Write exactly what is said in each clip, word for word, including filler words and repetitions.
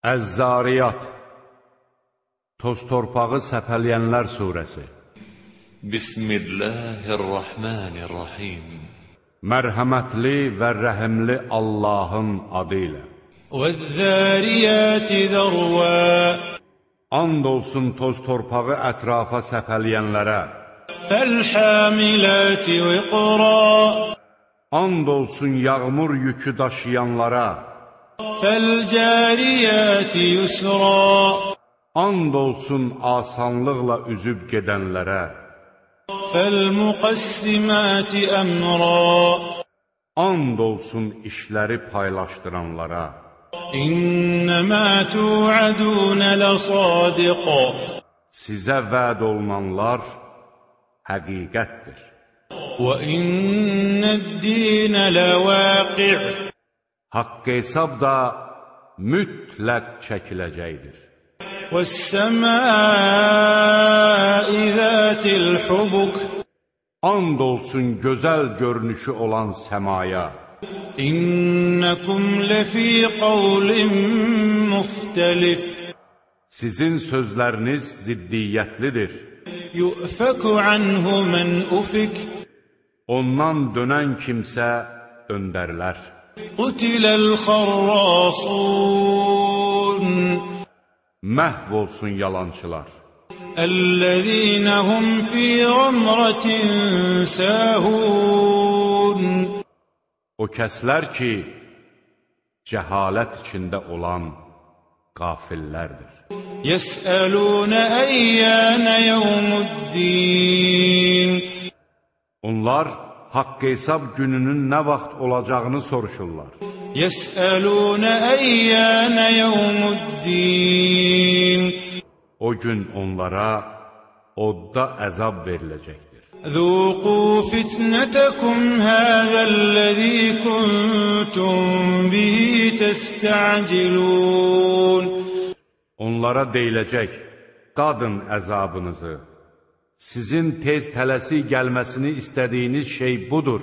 Əz-Zariyat, Toz torpağı səpələyənlər surəsi. Bismillahirrahmanirrahim. Mərhəmətli və rəhimli Allahın adı ilə. Vəz-Zariyati zərva. And olsun toz torpağı ətrafa səpələyənlərə. Fəl-Hamilati viqra. And olsun yağmur yükü daşıyanlara. Fəl-Cariyati yusra. And olsun asanlıqla üzüb gedənlərə. Fəl-Muqassimati əmra. And olsun işləri paylaşdıranlara. İnnəmə tu'adun ləsadiq. Sizə vəd olunanlar həqiqətdir. Və innəd-dinə ləvaqi'. Haqq hesab da mütləq çəkiləcəkdir. Vəs-səmai zətil hubuk. And olsun gözəl görünüşü olan səmaya. İnnəkum ləfī qavlin muxtəlif. Sizin sözləriniz ziddiyyətlidir. Yu'fəku anhu mən ufik. Ondan dönən kimsə döndərilər. Qutiləl xarrasun. Məhv olsun yalançılar. Əl-ləzīnə hum fī ğamratin səhun. O kəslər ki, cəhalət içində olan qafillərdir. Yəsəlunə əyyənə yevmuddin. Onlar haqq hesab gününün nə vaxt olacağını soruşurlar. Yəsəlunə əyyənə yevmuddin. O gün onlara odda əzab veriləcəkdir. Zuqu fitnətəkum həzəl-ləzî kuntum bihi təstəcilun. Onlara deyiləcək, dadın əzabınızı. Sizin tez tələsik gəlməsini istədiyiniz şey budur.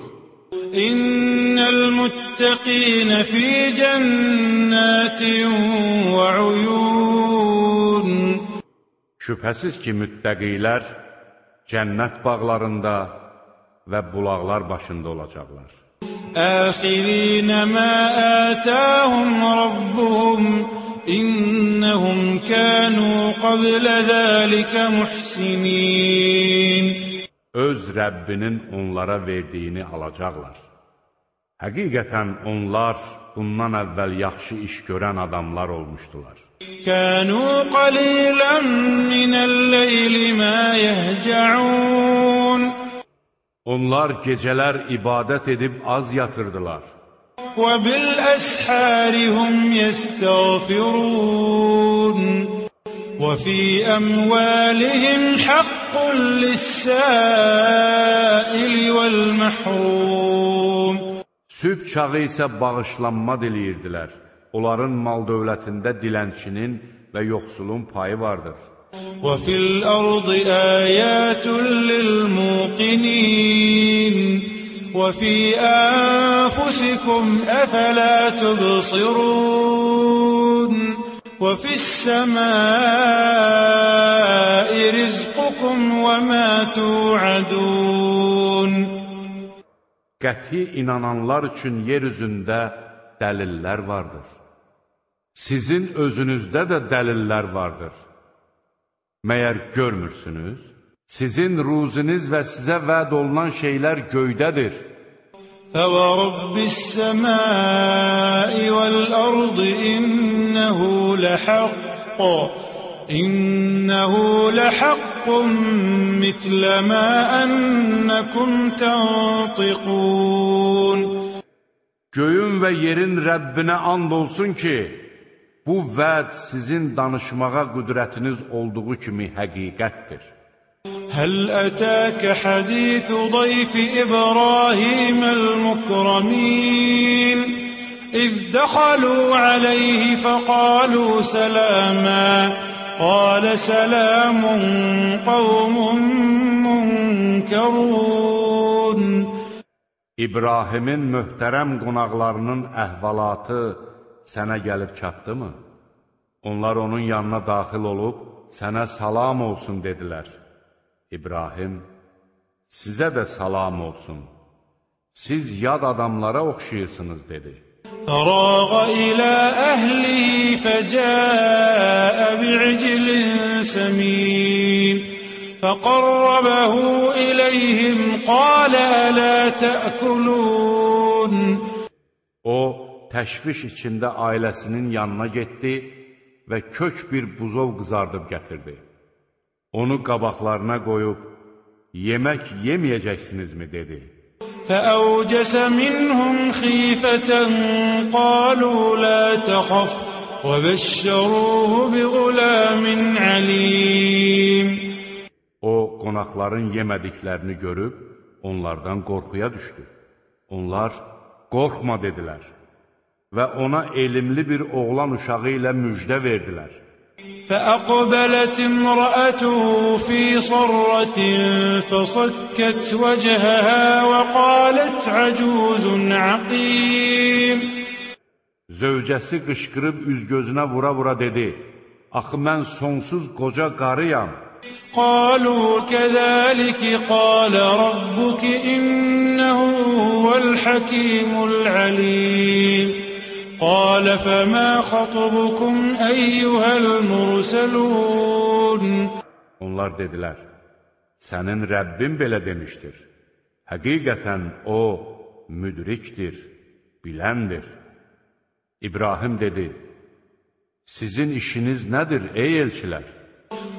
İnnəl muttəqinə fī cənnətin və uyun. Şübhəsiz ki, müttəqilər cənnət bağlarında və bulaqlar başında olacaqlar. Əxizinə mə ətəhum rabbuhum. İnnəhum kənu qablə zəlikə muhsinin. Öz Rəbbinin onlara verdiyini alacaqlar. Həqiqətən onlar bundan əvvəl yaxşı iş görən adamlar olmuşdular. Kənu qalilən minəl-leyli mə yəhcəun. Onlar gecələr ibadət edib az yatırdılar. Və bil-əshəri hum yəstəğfirun. Və fī əmvəlihim haqqun lis-səili vəl-məhrum. Sübh çağı isə bağışlanma diləyirdilər. Onların mal dövlətində dilənçinin və yoxsulun payı vardır. Və fil-ardı əyətun lil-muqinin. Və fī ənfusikum əfələ tubsirun. Və fis-səmai rizqukum və mə tu'adun. Qəti inananlar üçün yer üzündə dəlillər vardır. Sizin özünüzdə də dəlillər vardır. Məyər görmürsünüz? Sizin ruziniz və sizə vəd olunan şeylər göydədir. Fəvərabbis-səmai vəl-ardı innəhu ləhəqq. İnnəhu ləhəqqun mislə mə ənəkum təntiqun. Göyün və yerin Rəbbinə and olsun ki, bu vəd sizin danışmağa qüdrətiniz olduğu kimi həqiqətdir. Həl ətəkə hədithu dayfi İbrahim'əl-mukramin. İz dəxalu aleyhi fəqalu sələmə. Qalə sələmun qavmun munkərun. İbrahimin möhtərəm qonaqlarının əhvalatı sənə gəlib çatdı mı? Onlar onun yanına daxil olub, sənə salam olsun dedilər. İbrahim, sizə də salam olsun. Siz yad adamlara oxşayırsınız, dedi. فراغ إلى أهله فجاء بعجل سمين فقربه إليهم قال ألا تأكلون. O, təşviş içində ailəsinin yanına getdi və kök bir buzov qızardıb gətirdi. Onu qabaqlarına qoyub, yemək yeməyəcəksinizmi, dedi. فأوجس منهم خيفة قالوا لا تخف وبشروه بغلام عليم. O, qonaqların yemədiklərini görüb, onlardan qorxuya düşdü. Onlar, qorxma, dedilər və ona elmli bir oğlan uşağı ilə müjdə verdilər. فأقبلت امرأته في صرة فصكت وجهها وقالت عجوز عقيم. Zövcəsi qışqırıb üz-gözünə vura-vura dedi, axı mən sonsuz qoca qarıyam. قالوا كذلك قال ربك إنه هو الحكيم العليم. قال فما خطبكم أيها المرسلون. Onlar dedilər, sənin Rəbbin belə demişdir. Həqiqətən o, müdrikdir, biləndir. İbrahim dedi, sizin işiniz nədir, ey elçilər?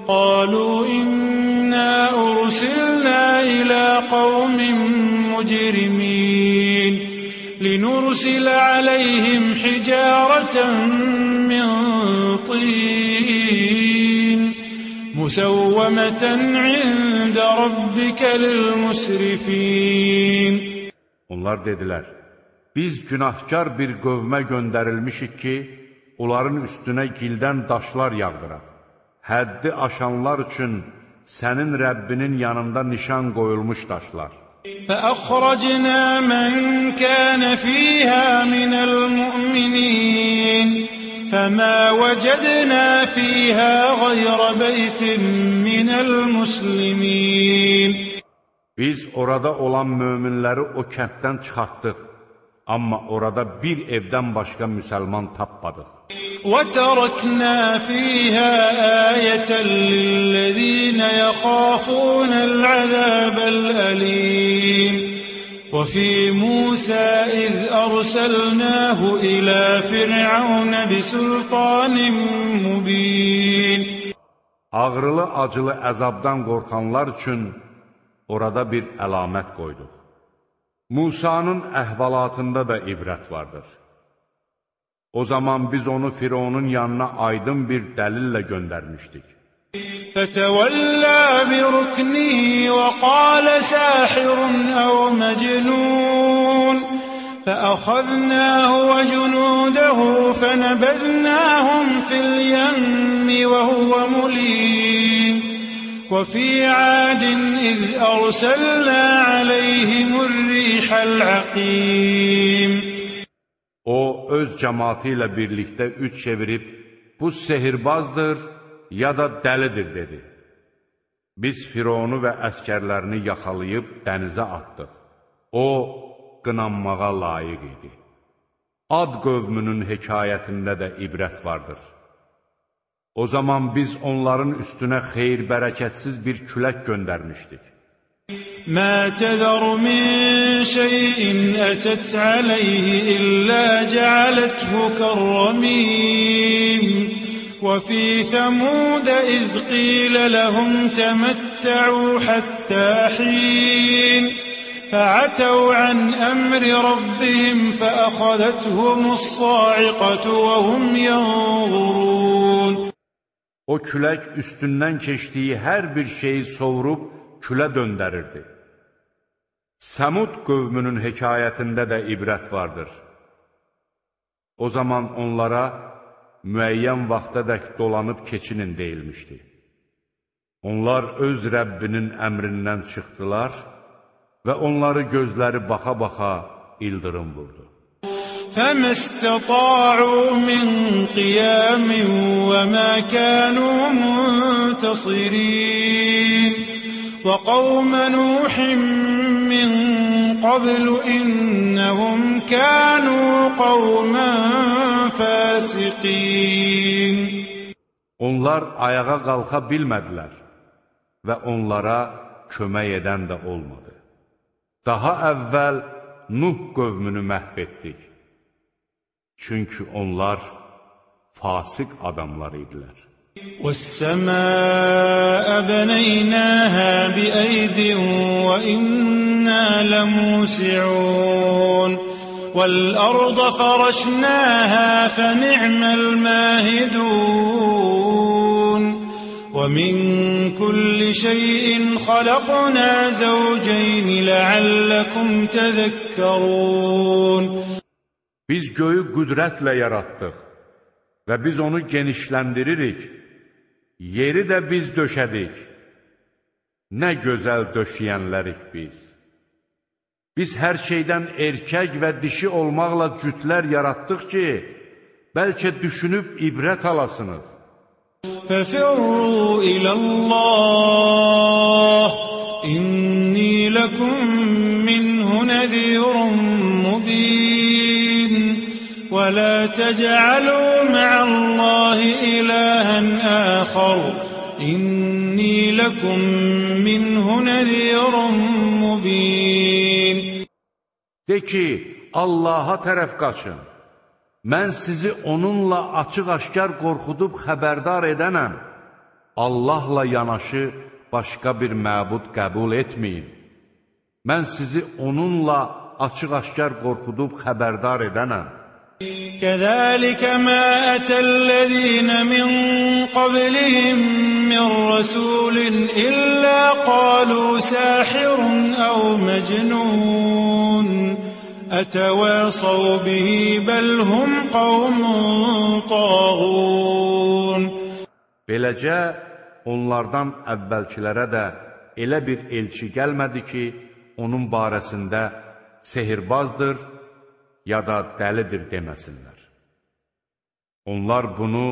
قالوا إنا أرسلنا إلى قوم مجرمين لنرسل عليهم حجارة من طين مسومة عند ربك للمسرفين. Onlar dedilər, biz günahkar bir qövmə göndərilmişik ki, onların üstünə gildən daşlar yağdıraq. Həddi aşanlar üçün sənin Rəbbinin yanında nişan qoyulmuş daşlar. فأخرجنا من كان فيها من المؤمنين فما وجدنا فيها غير بيت من المسلمين. Biz orada olan möminləri o kənddən çıxartdıq, amma orada bir evdən başqa müsəlman tapmadıq. وتركنا فيها آية للذين يخافون العذاب الأليم. وفي موسى إذ أرسلناه إلى فرعون بسلطان مبين. Ağrılı acılı əzabdan qorxanlar üçün orada bir əlamət qoyduq. Musanın əhvalatında da ibrət vardır. O zaman biz onu Fironun yanına aydın bir dəlillə göndərmişdik. فَتَوَلَّى بِرُكْنِهِ وَقَالَ سَاحِرٌ أَوْ مَجْنُونَ فَأَخَذْنَاهُ وَجُنُودَهُ فَنَبَذْنَاهُمْ فِي الْيَمِّ وَهُوَ مُلِيمٌ. وَفِي عَادٍ إِذْ أَرْسَلْنَا عَلَيْهِمُ الرِّيحَ الْعَقِيمَ. O, öz cəmaatı ilə birlikdə üç çevirib, bu sehirbazdır, ya da dəlidir, dedi. Biz Fironu və əskərlərini yaxalayıb dənizə atdıq. O, qınanmağa layiq idi. Ad qövmünün hekayətində də ibrət vardır. O zaman biz onların üstünə xeyir-bərəkətsiz bir külək göndərmişdik. ما تذر من شيء أتت عليه إلا جعلته كالرميم. وفي ثمود إذ قيل لهم تمتعوا حتى حين فعتوا عن أمر ربهم فأخذتهم الصاعقة وهم ينظرون. O külək üstündən keçdiyi hər bir şeyi sovurub külə döndərirdi. Səmud qövmünün hekayətində də ibrət vardır. O zaman onlara müəyyən vaxtadək dolanıb keçinin deyilmişdi. Onlar öz Rəbbinin əmrindən çıxdılar və onları gözləri baxa-baxa ildırım vurdu. فما استطاعوا من قيام وما كانوا منتصرين وقوم نوح من قبل إنهم كانوا قوما فاسقين. Onlar ayağa qalxa bilmədilər və onlara kömək edən də olmadı. Daha əvvəl Nuh qövmünü məhv etdik. Çünki onlar fasıq adamlar idilər. وَالسَّمَاءَ بَنَيْنَاهَا بِأَيْدٍ وَإِنَّا لَمُوسِعُونَ وَالْأَرْضَ فَرَشْنَاهَا فَنِعْمَ الْمَاهِدُونَ وَمِنْ كُلِّ شَيْءٍ خَلَقْنَا زَوْجَيْنِ لَعَلَّكُمْ تَذَكَّرُونَ. Biz göyü qüdrətlə yaratdıq və biz onu genişləndiririk. Yeri də biz döşədik. Nə gözəl döşəyənlərik biz. Biz hər şeydən erkək və dişi olmaqla cütlər yaratdıq ki, bəlkə düşünüb ibrət alasınız. فَفِرُّوا إِلَى اللَّهِ إِنِّي لَكُمْ مِنْهُ نَذِيرٌ مُبِينٌ وَلَا تَجْعَلُوا مَعَ اللَّهِ إِلَٰهًا آخَرَ إِنِّي لَكُمْ مِنْهُ نَذِيرٌ مُبِينٌ. De ki, Allaha tərəf qaçın. Mən sizi onunla açıq-aşkar qorxudub xəbərdar edənəm. Allahla yanaşı başqa bir məbud qəbul etməyin. Mən sizi onunla açıq-aşkar qorxudub xəbərdar edənəm. كَذَلِكَ مَا أَتَى الَّذِينَ مِنْ قَبْلِهِمْ مِنْ رَسُولٍ إِلَّا قَالُوا سَاحِرٌ أَوْ مَجْنُونٌ أَتَوَاصَوْا بِهِ بَلْ هُمْ قَوْمٌ طَاغُونَ. Beləcə, onlardan əvvəlkilərə də elə bir elçi gəlmədi ki, onun barəsində sehirbazdır, ya da dəlidir deməsinlər. Onlar bunu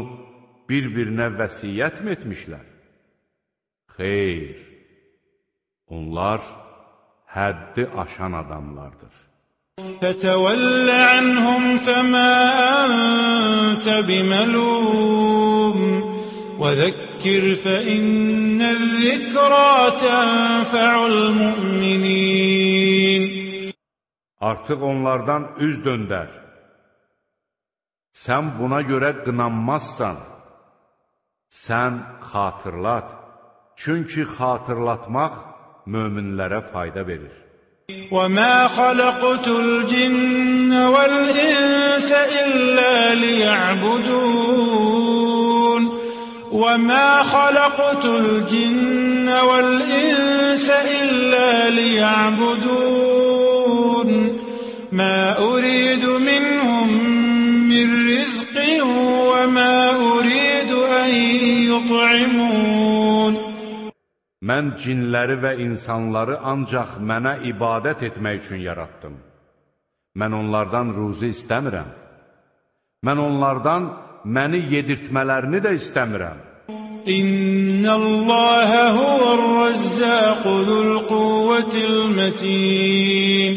bir-birinə vəsiyyət mi etmişlər? Xeyr, onlar həddi aşan adamlardır. فَتَوَلَّ عَنْهُمْ فَمَا أَنْتَ بِمَلُومٍ وَذَكِّرْ فَإِنَّ الذِّكْرَى تَنْفَعُ الْمُؤْمِنِينَ. Artıq onlardan üz döndər. Sən buna görə qınanmazsan. Sən xatırlat. Çünki xatırlatmaq möminlərə fayda verir. وَمَا خَلَقْتُ الْجِنَّ وَالْإِنسَ إِلَّا لِيَعْبُدُونَ وَمَا خَلَقْتُ الْجِنَّ وَالْإِنسَ إِلَّا لِيَعْبُدُونَ مَا أُرِيدُ مِنْهُمْ مِنْ رِزْقٍ وَمَا أُرِيدُ أَنْ يُطْعِمُونَ. Mən cinləri və insanları ancaq mənə ibadət etmək üçün yaratdım. Mən onlardan ruzi istəmirəm. Mən onlardan məni yedirtmələrini də istəmirəm. İnnəlləhə huvər-rəzzəqu zul-quvvətil-mətin.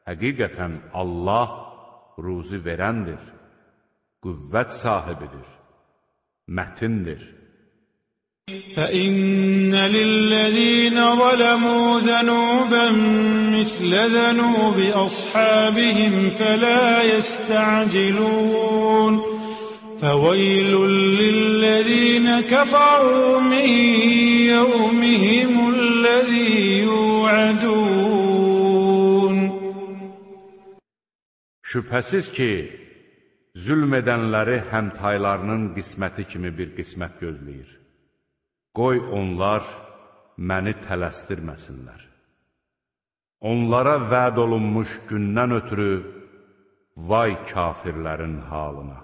Həqiqətən Allah ruzi verəndir, qüvvət sahibidir, mətindir. فَإِنَّ لِلَّذِينَ ظَلَمُوا ذَنُوبًا مِثْلَ ذَنُوبِ أَصْحَابِهِمْ فَلَا يَسْتَعْجِلُونَ فَوَيْلٌ لِلَّذِينَ كَفَرُوا مِنْ يَوْمِهِمُ الَّذِي يُوعَدُونَ. Şübhəsiz ki, zülm edənləri həmtaylarının qisməti kimi bir qismət gözləyir. Qoy onlar məni tələsdirməsinlər. Onlara vəd olunmuş gündən ötürü vay kafirlərin halına.